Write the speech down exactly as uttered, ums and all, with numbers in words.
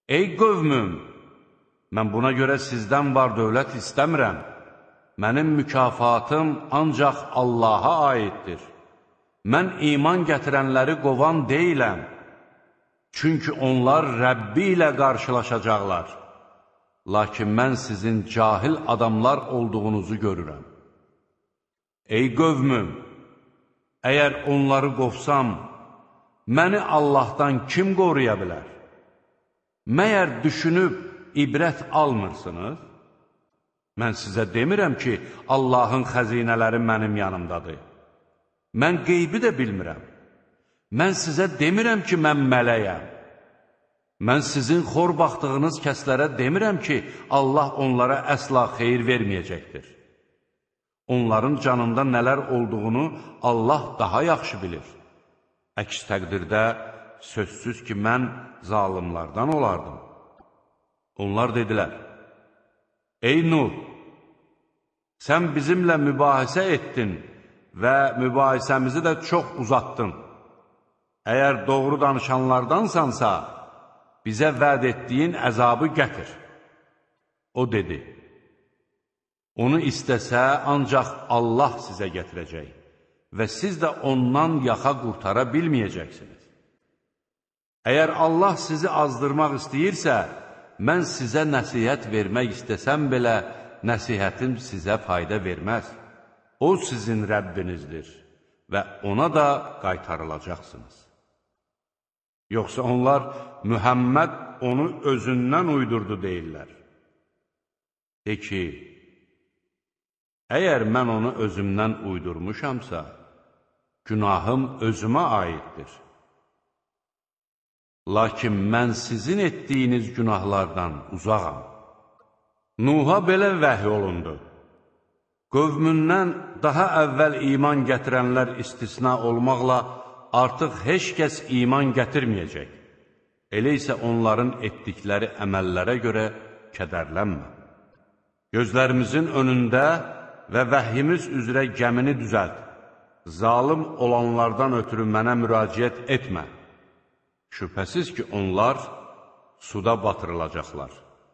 Ey qövmüm, mən buna görə sizdən var dövlət istəmirəm. Mənim mükafatım ancaq Allaha aiddir. Mən iman gətirənləri qovan deyiləm. Çünki onlar Rəbbi ilə qarşılaşacaqlar. Lakin mən sizin cahil adamlar olduğunuzu görürəm. Ey qövmüm, əgər onları qovsam, məni Allahdan kim qoruya bilər? Məyər düşünüb ibrət almırsınız? Mən sizə demirəm ki, Allahın xəzinələri mənim yanımdadır. Mən qeybi də bilmirəm. Mən sizə demirəm ki, mən mələyəm. Mən sizin xor baxdığınız kəslərə demirəm ki, Allah onlara əsla xeyir verməyəcəkdir. Onların canında nələr olduğunu Allah daha yaxşı bilir. Əks təqdirdə sözsüz ki, mən zalimlardan olardım. Onlar dedilər, ey Nuh, sən bizimlə mübahisə etdin və mübahisəmizi də çox uzatdın. Əgər doğru danışanlardansansa, bizə vəd etdiyin əzabı gətir. O dedi, onu istəsə ancaq Allah sizə gətirəcək və siz də ondan yaxa qurtara bilməyəcəksiniz. Əgər Allah sizi azdırmaq istəyirsə, mən sizə nəsihət vermək istəsəm belə, nəsihətim sizə fayda verməz. O sizin Rəbbinizdir və ona da qaytarılacaqsınız. Yoxsa onlar Mühəmməd onu özündən uydurdu deyirlər. De ki, əgər mən onu özümdən uydurmuşamsa, günahım özümə aiddir. Lakin mən sizin etdiyiniz günahlardan uzağam. Nuh'a belə vəhy olundu. Qövmündən daha əvvəl iman gətirənlər istisna olmaqla artıq heç kəs iman gətirməyəcək. Elə isə onların etdikləri əməllərə görə kədərlənmə. Gözlərimizin önündə və vəhyimiz üzrə gəmini düzəlt. Zalım olanlardan ötürü mənə müraciət etmə. Şübhəsiz ki, onlar suda batırılacaqlar.